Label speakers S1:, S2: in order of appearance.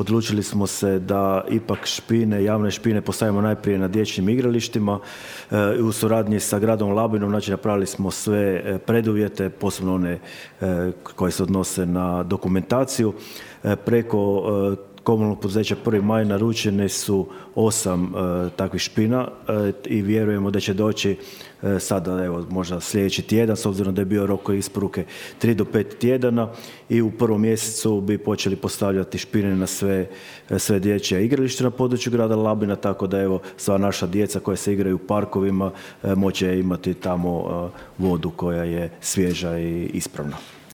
S1: Odlučili smo se da ipak špine, javne špine postavimo najprije na dječjim igralištima. U suradnji sa gradom Labinom, znači napravili smo sve preduvjete, posebno one koje se odnose na dokumentaciju. Preko komunalnog poduzeća 1. maj naručene su 8 takvih špina i vjerujemo da će doći sada, evo, možda sljedeći tjedan, s obzirom da je bio rok isporuke 3 do 5 tjedana i u 1. mjesecu bi počeli postavljati špine na sve dječje igralište na području grada Labina, tako da evo, sva naša djeca koja se igraju u parkovima moće imati tamo vodu koja je svježa i ispravna.